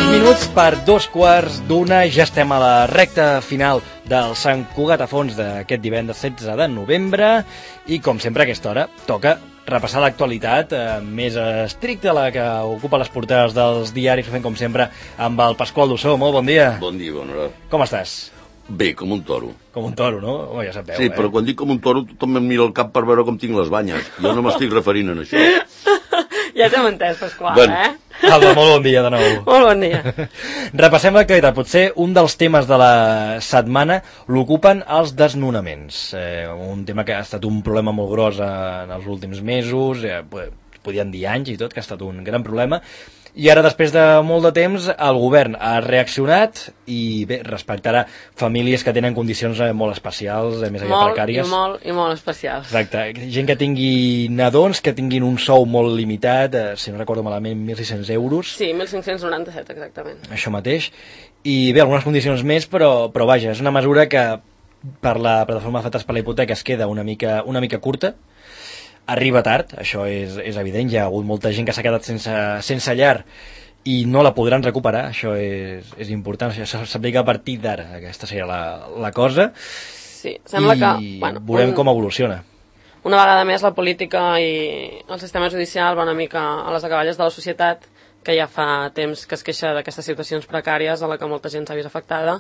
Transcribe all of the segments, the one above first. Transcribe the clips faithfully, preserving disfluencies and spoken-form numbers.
Minuts per dos quarts d'una, ja estem a la recta final del Sant Cugat a fons d'aquest divendres setze de novembre i com sempre a aquesta hora toca repassar l'actualitat eh, més estricta, la que ocupa les portades dels diaris, ho fem com sempre amb el Pasqual Dussó. Molt bon dia. Bon dia, bona hora. Com estàs? Bé, com un toro. Com un toro, no? Oh, ja sabeu, sí, eh? però quan dic com un toro tothom em mira el cap per veure com tinc les banyes. Jo no m'estic referint a això. Ja t'hem entès, Pasqual, ben. eh? Alba, molt bon dia de nou. Molt bon dia. Repassem l'actualitat. Potser un dels temes de la setmana l'ocupen els desnonaments. Eh, un tema que ha estat un problema molt gros en els últims mesos, eh, podien dir anys i tot, que ha estat un gran problema. I ara, després de molt de temps, el govern ha reaccionat i bé, respectarà famílies que tenen condicions molt especials, més aviat molt, precàries. I molt, i molt especials. Exacte. Gent que tingui nadons, que tinguin un sou molt limitat, eh, si no recordo malament, mil sis-cents euros. Sí, mil cinc-cents noranta-set, exactament. Això mateix. I bé, algunes condicions més, però, però vaja, és una mesura que per la plataforma d'afectats per la hipoteca es queda una mica, una mica curta. Arriba tard, això és, és evident, hi ha hagut molta gent que s'ha quedat sense, sense llar i no la podran recuperar, això és, és important, això s'aplica a partir d'ara, aquesta seria la, la cosa. Sí, sembla i que... Bueno, veurem un, com evoluciona. Una vegada més la política i el sistema judicial va una mica a les acaballes de la societat, que ja fa temps que es queixa d'aquestes situacions precàries a la que molta gent s'ha vist afectada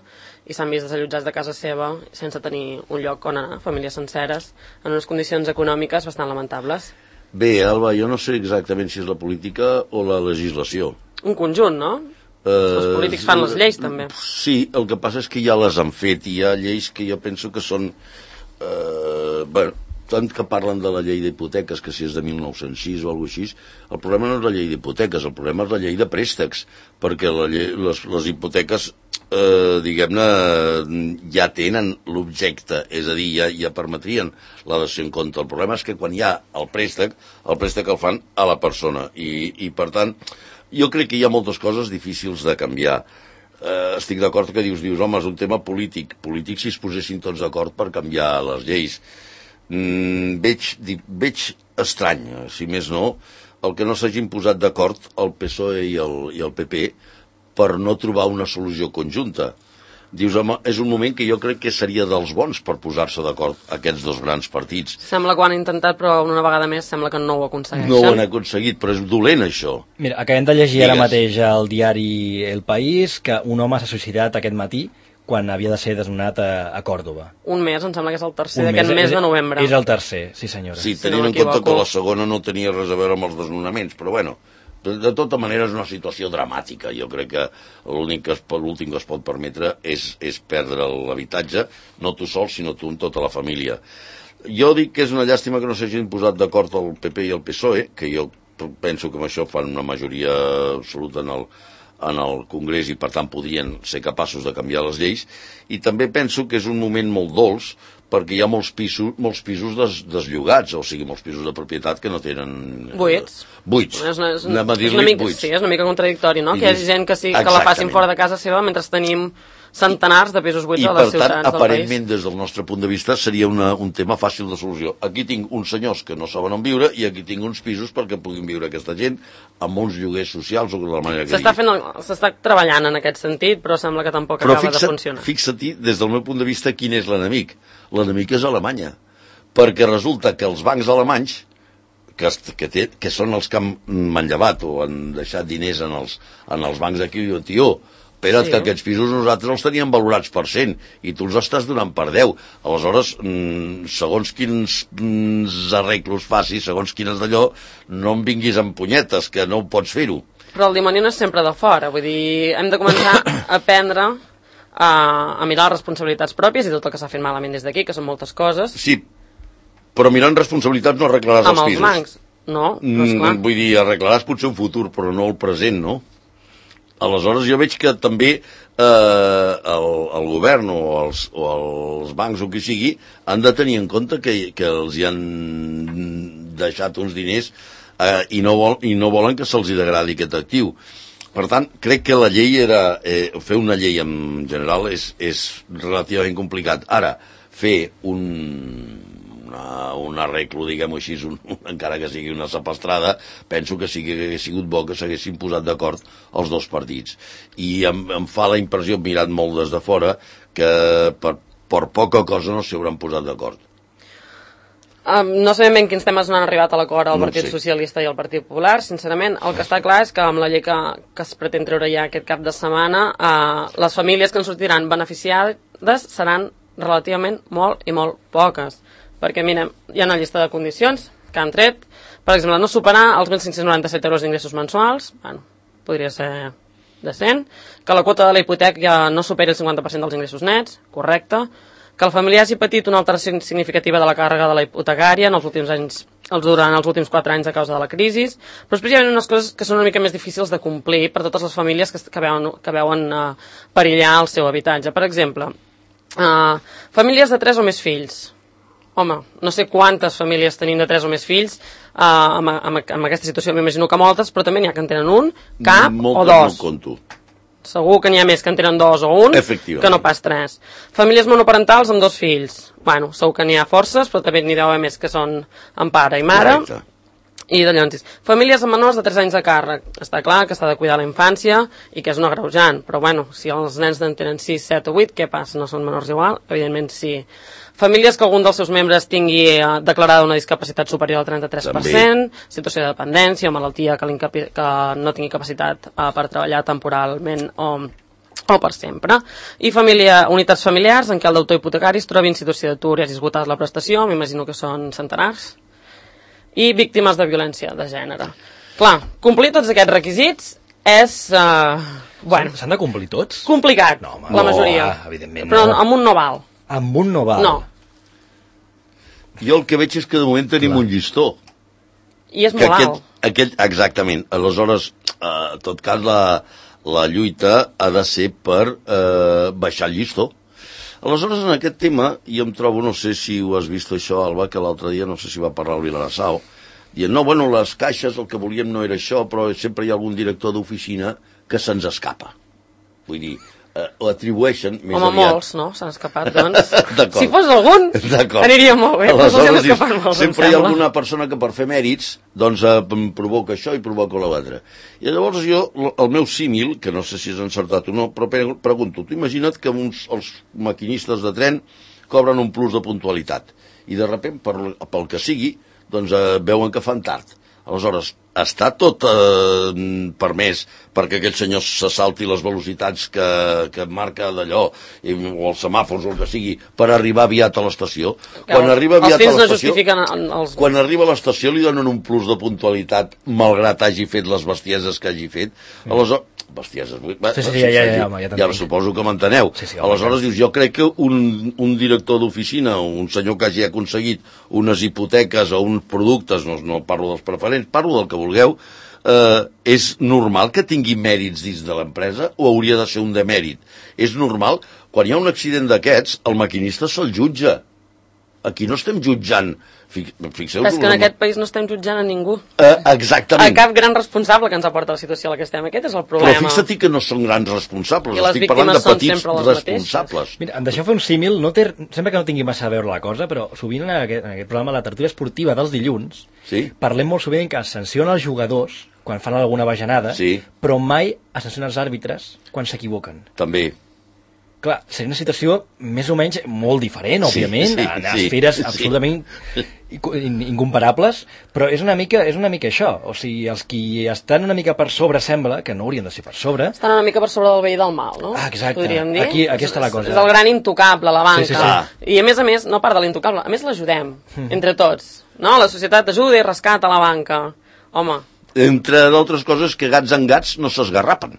i s'han vist desallotjats de casa seva sense tenir un lloc on anar, famílies senceres, en unes condicions econòmiques bastant lamentables. Bé, Alba, jo no sé exactament si és la política o la legislació. Un conjunt, no? Uh, Els polítics fan les lleis, també. Sí, el que passa és que ja les han fet i hi ha lleis que jo penso que són... Uh, bueno, tant que parlen de la llei d'hipoteques, que si és de mil nou-cents sis o alguna cosa així, el problema no és la llei d'hipoteques, el problema és la llei de préstecs, perquè la llei, les, les hipoteques, eh, diguem-ne, ja tenen l'objecte, és a dir, ja, ja permetrien la dació en compte. El problema és que quan hi ha el préstec, el préstec el fan a la persona, i, i per tant, jo crec que hi ha moltes coses difícils de canviar. Eh, estic d'acord que dius, dius, home, és un tema polític, polític si es posessin tots d'acord per canviar les lleis. Mm, veig, veig estrany, si més no, el que no s'hagin posat d'acord el P S O E i el, i el P P per no trobar una solució conjunta. Dius, home, és un moment que jo crec que seria dels bons per posar-se d'acord aquests dos grans partits. Sembla que ho han intentat, però una vegada més sembla que no ho aconsegueixen. No ho han aconseguit, però és dolent, això. Mira, acabem de llegir Digues. Ara mateix al diari El País que un home s'ha suïcidat aquest matí quan havia de ser desnonat a, a Còrdova. Un mes, em sembla que és el tercer d'aquest mes de novembre. És el tercer, sí senyora. Sí, tenint en compte que la segona no tenia res a veure amb els desnonaments, però bueno, de, de tota manera és una situació dramàtica. Jo crec que l'únic que es pot, l'últim que es pot permetre és, és perdre l'habitatge, no tu sol, sinó tu amb tota la família. Jo dic que és una llàstima que no s'hagin posat d'acord el P P i el P S O E, que jo penso que amb això fan una majoria absoluta en el en el Congrés i per tant podrien ser capaços de canviar les lleis, i també penso que és un moment molt dolç perquè hi ha molts pisos, molts pisos des, deslligats, o sigui, molts pisos de propietat que no tenen... Buits. Eh, buits. És una, és, Anem a és una mica, buits. Sí, és una mica contradictori, no? I que hi hagi gent que, sí, que la facin fora de casa seva mentre tenim centenars de pisos buits I, a les per ciutats tant, del país. aparentment, des del nostre punt de vista, seria una, un tema fàcil de solució. Aquí tinc uns senyors que no saben on viure i aquí tinc uns pisos perquè puguin viure aquesta gent amb uns lloguers socials o de la manera que S'està digui. fent el- s'està treballant en aquest sentit, però sembla que tampoc Però acaba fixa't, de funcionar. fixa-t'hi, des del meu punt de vista, quin és l'enemic. L'enemic és Alemanya. Perquè resulta que els bancs alemanys, que, que, té, que són els que han manllevat o han deixat diners en els, en els bancs d'aquí, i tió, espera't, sí, que aquests pisos nosaltres els teníem valorats per cent i tu els estàs donant per deu. Aleshores, mmm, segons quins mmm, arreglos facis, segons quines d'allò, no em vinguis amb punyetes, que no pots fer-ho. Però el dimoni no és sempre de fora, vull dir, hem de començar a aprendre a, a mirar les responsabilitats pròpies i tot el que s'ha fet malament des d'aquí, que són moltes coses. Sí, però mirant responsabilitats no arreglaràs amb els els pisos. bancs. No, no és clar. Mm, vull dir, arreglaràs potser un futur, però no el present, no? Aleshores jo veig que també eh, el, el govern o els, o els bancs o qui sigui han de tenir en compte que, que els hi han deixat uns diners eh, i, no vol, i no volen que se'ls hi degradi aquest actiu. Per tant, crec que la llei era... Eh, fer una llei en general és, és relativament complicat. Ara, fer un, una una, un arreglo, diguem-ho així, un, encara que sigui una sapastrada, penso que sí que hagués sigut bo que s'haguessin posat d'acord els dos partits. I em, em fa la impressió, mirant molt des de fora, que per, per poca cosa no s'hi hauran posat d'acord. Um, no sabem ben quins temes no han arribat a l'acord al No Partit sé. Socialista i al Partit Popular, sincerament. El que està clar és que amb la llei que, que es pretén treure ja aquest cap de setmana, uh, les famílies que en sortiran beneficiades seran relativament molt i molt poques. Perquè, mirem, hi ha una llista de condicions que han tret. Per exemple, no superar els mil cinc-cents noranta-set euros d'ingressos mensuals, bueno, podria ser decent, que la quota de la hipoteca ja no superi el cinquanta per cent dels ingressos nets, correcte, que el familiar hagi patit una alteració significativa de la càrrega de la hipotecària en els últims anys, els durant els últims quatre anys a causa de la crisi, però especialment unes coses que són una mica més difícils de complir per totes les famílies que, que veuen, que veuen uh, perillar el seu habitatge. Per exemple, uh, famílies de tres o més fills. Home, no sé quantes famílies tenim de tres o més fills, uh, amb, amb, amb aquesta situació m'imagino que moltes, però també n'hi ha que en tenen un, cap Moltes o dos. No conto. Segur que n'hi ha més que en tenen dos o un, que no pas tres. Famílies monoparentals amb dos fills. Bueno, segur que n'hi ha forces, però també n'hi deu haver més que són amb pare i mare. Correcte. I de llavors, famílies amb menors de tres anys de càrrec. Està clar que s'ha de cuidar la infància i que és un agreujant, però bueno, si els nens en tenen sis, set o vuit, què passa? No són menors igual? Evidentment sí. Famílies que algun dels seus membres tingui eh, declarada una discapacitat superior al trenta-tres per cent, també. Situació de dependència o malaltia que, que no tingui capacitat eh, per treballar temporalment o, o per sempre. I família, unitats familiars en què el deutor hipotecari es trobi en situació d'atur i hagi esgotat la prestació, m'imagino que són centenars. I víctimes de violència de gènere. Clar, complir tots aquests requisits és... Eh, bueno, S'han de complir tots? Complicat, no, home, la no, majoria. Ah, evidentment però no. amb un no val. Amb un no val? No. Jo el que veig és que de moment tenim Clar. un llistó. I és molt alt. Aquest, exactament. Aleshores, eh, en tot cas, la, la lluita ha de ser per eh, baixar el llistó. Aleshores, en aquest tema, jo em trobo, no sé si ho has vist això, Alba, que l'altre dia, no sé si va parlar el Vilarassau, dient, no, bueno, les caixes, el que volíem no era això, però sempre hi ha algun director d'oficina que se'ns escapa. Vull dir, eh, ho atribueixen més Home, aviat... molts, no? S'han escapat, doncs. D'acord. Si fos algun, aniria molt bé. Aleshores, dius, molts, sempre hi ha alguna persona que per fer mèrits doncs eh, provoca això i provoca l'altre. I llavors jo, el meu símil, que no sé si és encertat o no, però pregunto, tu imagina't que uns, els maquinistes de tren cobren un plus de puntualitat i de sobte, per, pel que sigui, doncs eh, veuen que fan tard. Aleshores, està tot eh, permès perquè aquell senyor se salti les velocitats que, que marca d'allò, o els semàfors o el que sigui, per arribar aviat a l'estació. Quan arriba aviat a l'estació, els... quan arriba a l'estació li donen un plus de puntualitat malgrat hagi fet les bestieses que hagi fet. Aleshores, bestieses, sí, sí, ja, ja, ja, home, ja, ja suposo que m'enteneu. Sí, sí, aleshores dius, jo crec que un, un director d'oficina, un senyor que hagi aconseguit unes hipoteques o uns productes, no, no parlo dels preferents, parlo del que vulgueu, eh, és normal que tingui mèrits dins de l'empresa o hauria de ser un demèrit? És normal? Quan hi ha un accident d'aquests, el maquinista se'l jutja. Aquí no estem jutjant. Fixeu-vos... Però és que en aquest país no estem jutjant a ningú. Eh, exactament. A cap gran responsable que ens aporta la situació a la que estem. Aquest és el problema. Però fixa't que no són grans responsables. I les Estic parlant de víctimes són petits sempre les responsables. mateixes. Mira, em deixeu fer un símil, no té, sembla que no tingui massa a veure la cosa, però sovint en aquest, en aquest programa, la tertúlia esportiva dels dilluns, sí? Parlem molt sovint que es sanciona els jugadors quan fan alguna bajanada, sí. Però mai es sanciona els àrbitres quan s'equivoquen. També. Clar, seria una situació més o menys molt diferent, òbviament, sí, sí, en sí, esferes sí. absolutament incomparables, però és una mica, és una mica això. O sigui, els qui estan una mica per sobre sembla que no haurien de ser per sobre. Estan una mica per sobre del bé i del mal, no? Ah, exacte. Podríem dir. Aquí, aquí està la cosa. És el gran intocable, la banca. Sí, sí, sí. I a més a més, no part de l'intocable, a més l'ajudem, mm. entre tots. No? La societat ajuda i rescata la banca. Home. Entre d'altres coses que gats en gats no s'esgarrapen.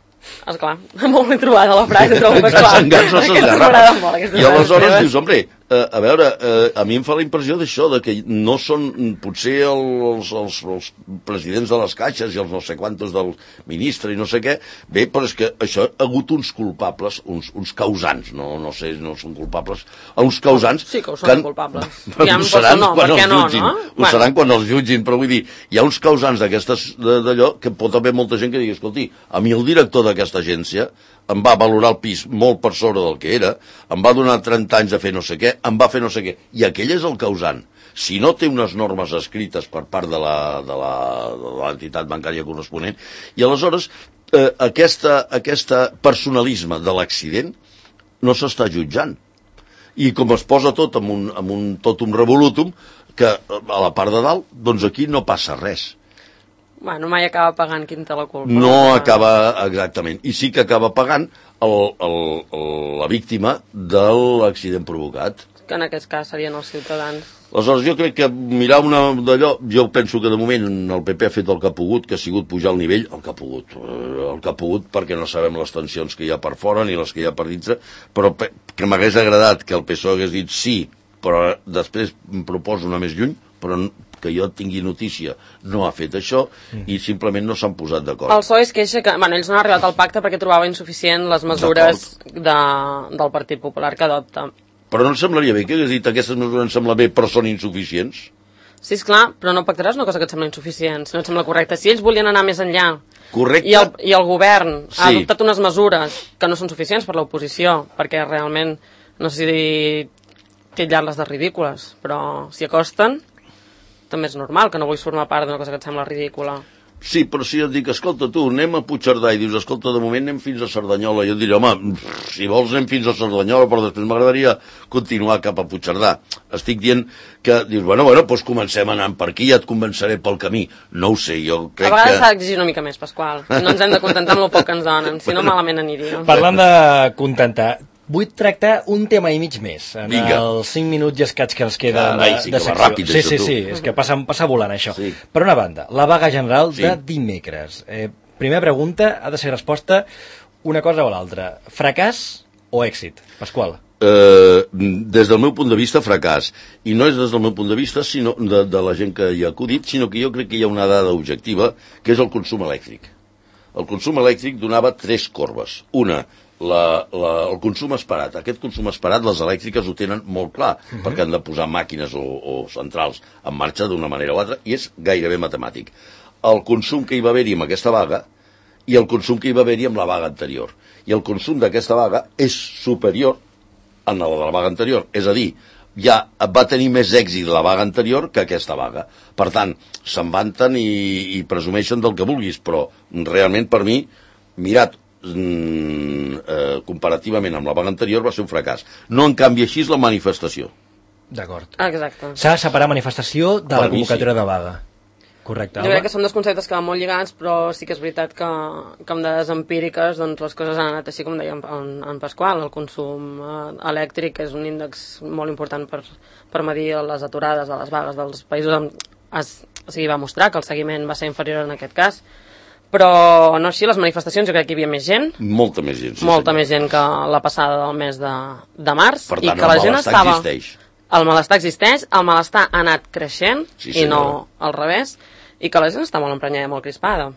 Esclar, molt ben trobada la frase, trobo que clar. Gats no s'esgarrapen. I aleshores dius, hombre, eh, a veure, eh, a mi em fa la impressió d'això, de que no són potser els, els, els presidents de les caixes i els no sé quantos del ministre i no sé què, bé, però és que això ha hagut uns culpables, uns, uns causants, no, no sé, no són culpables, uns causants... Sí que ho són, que, culpables. Ja ho seran no, quan els no, jutgin, no? ho bueno. seran quan els jutgin, però vull dir, hi ha uns causants d'aquestes d'allò que pot haver molta gent que digui, escolti, a mi el director d'aquesta agència em va valorar el pis molt per sobre del que era, em va donar trenta anys a fer no sé què, em va fer no sé què, i aquell és el causant. si no té unes normes escrites per part de la, de la, de l'entitat bancària corresponent, i aleshores eh, aquesta, aquesta personalisme de l'accident no s'està jutjant. I com es posa tot amb un, amb un totum revolutum, que a la part de dalt, doncs aquí no passa res. Bueno, mai acaba pagant qui en té la culpa. No acaba, exactament. I sí que acaba pagant el, el, el, la víctima de l'accident provocat. Que en aquest cas serien els ciutadans. Aleshores, jo crec que mirar una d'allò, jo penso que de moment el P P ha fet el que ha pogut, que ha sigut pujar el nivell, el que ha pogut, el que ha pogut, perquè no sabem les tensions que hi ha per fora ni les que hi ha per dintre, però que m'hagués agradat que el P S O E hagués dit sí, però després em proposo anar més lluny, però que jo tingui notícia no ha fet això i simplement no s'han posat d'acord. El P S O E es queixa que, bueno, ells no han arribat al pacte perquè trobava insuficient les mesures de, del Partit Popular que adopta. Però no em semblaria bé que hagués dit aquestes mesures em sembla bé però són insuficients? Sí, esclar, però no pactaràs una cosa que et sembla insuficient, si no et sembla correcte. Si ells volien anar més enllà correcte. I, el, i el govern sí. ha adoptat unes mesures que no són suficients per l'oposició, perquè realment, no sé si titllar-les de ridícules, però si acosten també és normal que no vull formar part d'una cosa que et sembla ridícula. Sí, però si jo et dic, escolta tu, anem a Puigcerdà i dius, escolta, de moment anem fins a Cerdanyola, jo et diré, home, si vols anem fins a Cerdanyola, però després m'agradaria continuar cap a Puigcerdà. Estic dient que dius, bueno, bueno, doncs comencem anant per aquí, ja et convenceré pel camí. No ho sé, jo crec que... A vegades s'ha d'exigir una mica més, Pasqual. No ens hem de contentar amb el poc que ens donen, si no malament aniria. Parlant de contentar, vull tractar un tema i mig més en Vinga. els cinc minuts i escaig que ens queden Carai, de, sí de que va secció. ràpid, sí, això, sí, tu. sí, és que passa, passa volant això. Sí. Per una banda, la vaga general Sí. de dimecres. Eh, primera pregunta, ha de ser resposta una cosa o l'altra. Fracàs o èxit? Pasqual. Eh, des del meu punt de vista, fracàs. I no és des del meu punt de vista sinó de, de la gent que hi ha acudit, sinó que jo crec que hi ha una dada objectiva, que és el consum elèctric. El consum elèctric donava tres corbes. Una, la, la, el consum esperat. Aquest consum esperat les elèctriques ho tenen molt clar, uh-huh. perquè han de posar màquines o, o centrals en marxa d'una manera o altra, i és gairebé matemàtic. El consum que hi va haver-hi amb aquesta vaga i el consum que hi va haver-hi amb la vaga anterior. I el consum d'aquesta vaga és superior a la de la vaga anterior. És a dir, ja va tenir més èxit la vaga anterior que aquesta vaga. Per tant, se'n vanten i, i presumeixen del que vulguis, però realment per mi, mirat mm, eh, comparativament amb la vaga anterior, va ser un fracàs. No en canvi així és la manifestació. D'acord. Exacte. S'ha de separar manifestació de Per la mi, convocatòria sí. de vaga. Correcte, Jo crec que són dos conceptes que van molt lligats, però sí que és veritat que, que amb dades empíriques doncs, les coses han anat així com deia en, en Pasqual. El consum eh, elèctric és un índex molt important per, per medir les aturades de les vagues dels països. Amb, es, o sigui, va mostrar que el seguiment va ser inferior en aquest cas, però no així, les manifestacions jo crec que hi havia més gent, Molta més gent. Sí, molta senyor. més gent que la passada del mes de, de març, Per i tant, que el la gent malestar estava... existeix. El malestar existeix, el malestar ha anat creixent, Sí, i no senyora. al revés, i que la gent està molt emprenyada, molt crispada.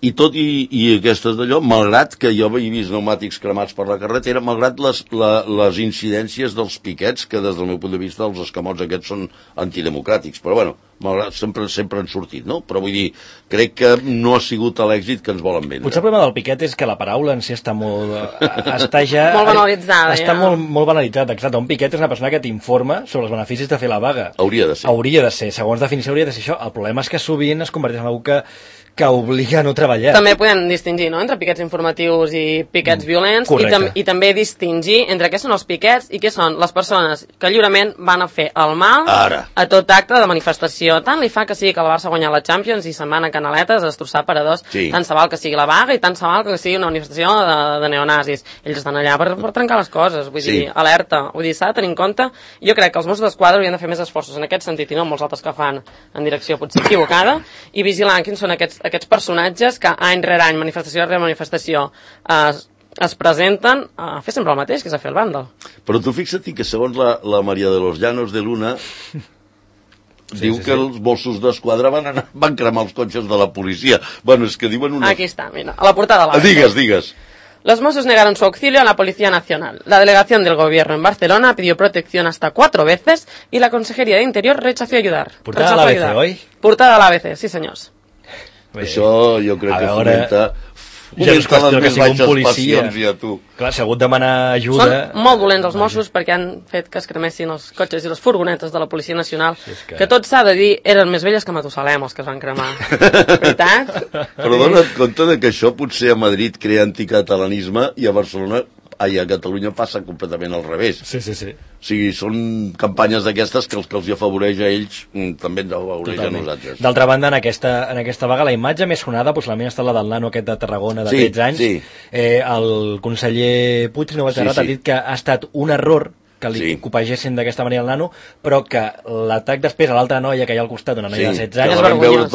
I tot i, i aquestes d'allò, malgrat que jo he vist pneumàtics cremats per la carretera, malgrat les, la, les incidències dels piquets, que des del meu punt de vista els escamots aquests són antidemocràtics, però bueno, malgrat, sempre, sempre han sortit, no? Però vull dir, crec que no ha sigut l'èxit que ens volen vendre. Potser el problema del piquet és que la paraula en si està molt... està ja... Molt banalitzada, Està ja. molt, molt banalitzat, exacte. Un piquet és una persona que t'informa sobre els beneficis de fer la vaga. Hauria de ser. Hauria de ser, segons definició hauria de ser això. El problema és que sovint es converteix en algú que, que obliga a no treballar. També podem distingir, no?, entre piquets informatius i piquets violents, i, tam i també distingir entre què són els piquets i què són les persones que lliurement van a fer el mal Ara. a tot acte de manifestació. Tant li fa que sigui que el Barça guanya la Champions i se'n van a Canaletes a destrossar paradors, Sí. tant se val que sigui la vaga i tant se val que sigui una manifestació de, de neonazis. Ells estan allà per, per trencar les coses, vull Sí. dir, alerta, vull dir, s'ha de tenir en compte. Jo crec que els Mossos d'Esquadra haurien de fer més esforços en aquest sentit i no molts altres que fan en direcció potser equivocada, i vigilar quins són aquests, aquests personatges que any rere any, manifestació rere manifestació, es, es presenten a fer sempre el mateix, que és a fer el bàndol. Però tu fixa't que segons la, la Maria de los Llanos de Luna Sí, diu sí, que sí. els Mossos d'Esquadra van, anar, van cremar els cotxes de la policia. Bueno, és que diuen una... Aquí está, mira, a la portada de la Ah, digues, digues. Los Mossos negaron su auxilio a la Policía Nacional. La delegación del gobierno en Barcelona pidió protección hasta cuatro veces y la Consejería de Interior rechazó ayudar. Portada Rechazó a l'A B C, ayudar. oi? Portada a l'A B C, sí senyors. Això jo crec A que veure- fomenta Ja no és qüestió que sigui un policia. Ja, tu. Clar, si ha hagut de demanar ajuda... Són molt dolents els Mossos perquè han fet que es cremessin els cotxes i les furgonetes de la Policia Nacional, sí, que... que tot s'ha de dir, eren més velles que Matusalem els que es van cremar. Veritat? Però dona't compte de que això potser a Madrid crea anticatalanisme i a Barcelona, ai, a Catalunya passa completament al revés. Sí, sí, sí. O sigui, són campanyes d'aquestes que els que els afavoreix a ells també ens afavoreix a nosaltres. D'altra banda, en aquesta, en aquesta vaga, la imatge més sonada, possiblement ha estat la del nano aquest de Tarragona de sí, tretze anys. Sí. Eh, el conseller Puig, no vaig errat, sí, sí. ha dit que ha estat un error que li sí. copegessin d'aquesta manera el nano, però que l'atac després a l'altra noia que hi ha al costat, una noia sí, de setze anys,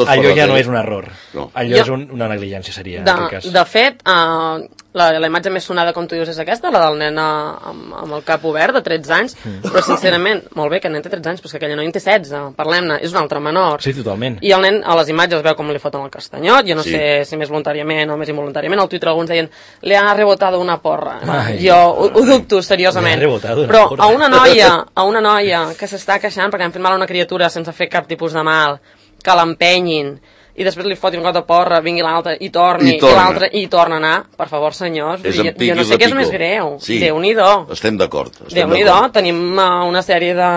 allò ja no és un error. No. Allò jo, és un, una negligència, seria. De, de fet, uh, la, la imatge més sonada, com tu dius, és aquesta, la del nen amb, amb el cap obert, de tretze anys, mm. però sincerament, molt bé que el nen té tretze anys, però que aquella noia en té setze, parlem-ne, és un altre menor. Sí, totalment. I el nen, a les imatges, veu com li foten el castanyot, jo no sí. sé si més voluntàriament o més involuntàriament, al Twitter alguns deien, li ha rebotado una porra. Ai, jo ho, ho dubto, seriosament. Però porra. a una noia, a una noia que s'està queixant perquè han fet mal a una criatura sense fer cap tipus de mal, que l'empenyin, i després li fotin un got de porra, vingui l'altre i torni, i, i l'altre i torna a anar, per favor, senyors, jo, jo no sé què és més greu. Sí, Déu-n'hi-do. Estem d'acord. Déu-n'hi-do, tenim uh, una sèrie de...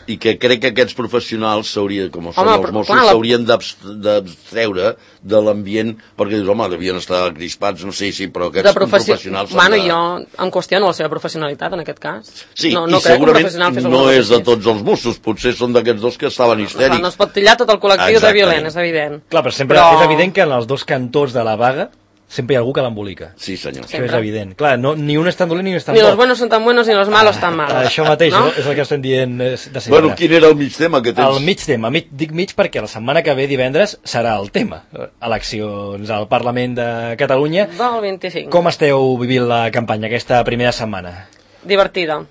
I que crec que aquests professionals s'haurien, com són els Mossos, la... s'haurien d'abstreure de l'ambient, perquè dius, home, devien estar crispats, no sé, sí, però aquests professi... professionals... Bueno, de... jo em qüestiono la seva professionalitat, en aquest cas. Sí, no, no i segurament no és de tots els Mossos, potser són d'aquests dos que estaven histèrics. Clar, no es pot tillar tot el col·lectiu de violent, és evident. Clar, però sempre però... és evident que en els dos cantors de la vaga sempre hi ha algú que l'embolica. Sí, senyor. Això és evident. Clar, no, ni un és tan dolent ni un és tan bo. bo. Ni los buenos son tan buenos ni los malos tan malos. Això mateix, no? És el que estem dient de sempre. Bueno, quin era el mig tema que tens? El mig tema. Mig, dic mig perquè la setmana que ve, divendres, serà el tema. Eleccions al Parlament de Catalunya. Del vint-i-cinc. Com esteu vivint la campanya aquesta primera setmana? Divertida.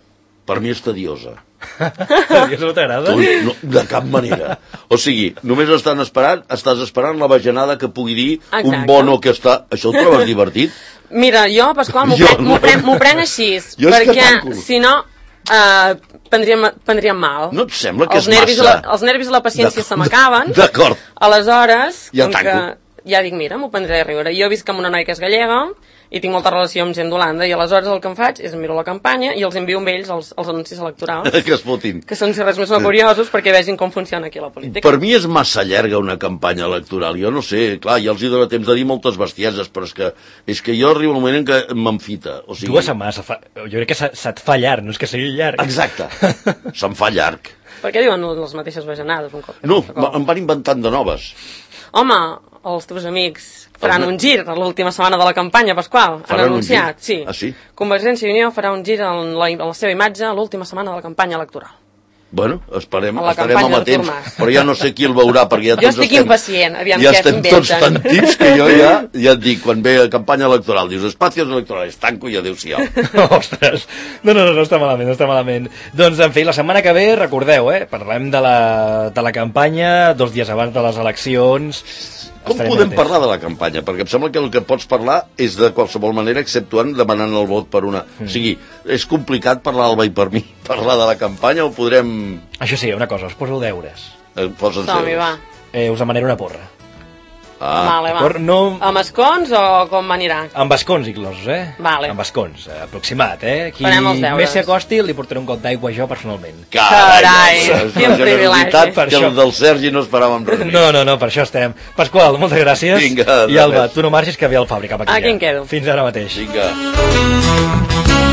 Per mi és tediosa. Tediosa no t'agrada? No, de cap manera. O sigui, només estan esperant, estàs esperant la bajanada que pugui dir Exacte. un bono que està... Això ho trobes divertit? Mira, jo, Pasqual, m'ho prenc, prenc, prenc així, jo perquè si no eh, prendríem, prendríem mal. No et sembla que els és nervis massa... La, els nervis i la paciència se m'acaben. D'acord. Aleshores, ja tanco. Que, ja dic, mira, m'ho prendré a riure. Jo visc amb una noia que és gallega i tinc molta relació amb gent d'Holanda i aleshores el que em faig és miro la campanya i els envio amb ells els, els anuncis electorals que es fotin, que són si res més no curiosos perquè vegin com funciona aquí la política. Per mi és massa llarga una campanya electoral, jo no sé, clar, ja els hi dona temps de dir moltes bestieses, però és que, és que jo arribo un moment en què m'enfita, o sigui... Dues setmanes, fa... jo crec que se't fa llarg, no és que sigui llarg. Exacte, se'm fa llarg. Per què diuen les mateixes bajanades un cop? No, em van inventant de noves. Home, els teus amics faran un gir a l'última setmana de la campanya, Pasqual. Han anunciat, sí. Ah, sí? Convergència i Unió farà un gir en la, en la seva imatge a l'última setmana de la campanya electoral. Bueno, esperem, estarem amatents, però ja no sé qui el veurà, perquè ja jo estic estem, impacient, aviam ja què estem tots tan tips que jo ja, ja et dic, quan ve a campanya electoral, dius, espacios electorals, tanco i adéu-siau. Ostres, no, no, no, no està malament, no està malament. Doncs, en fi, la setmana que ve, recordeu, eh, parlem de la, de la campanya dos dies abans de les eleccions. Com podem parlar de la campanya? Perquè em sembla que el que pots parlar és de qualsevol manera, exceptuant demanant el vot per una... Mm. O sigui, és complicat parlar al Alba i per mi, parlar de la campanya, o podrem... Això sí, una cosa, us poso deures. Eh, Posa'ns deures. Eh, us demanaré una porra. Ah. Vale, va. No... Amb escons o com anirà? Amb escons inclosos, eh? Vale. Amb escons, eh, aproximat, eh? Qui més s'hi acosti li portaré un got d'aigua jo personalment. Carai, quin privilegi. Que el del Sergi no esperàvem res. No, no, no, per això estem. Pasqual, moltes gràcies. Vinga, i Alba, tu no marxis que ve el Fabri cap aquí. Aquí em quedo. Fins ara mateix. Vinga.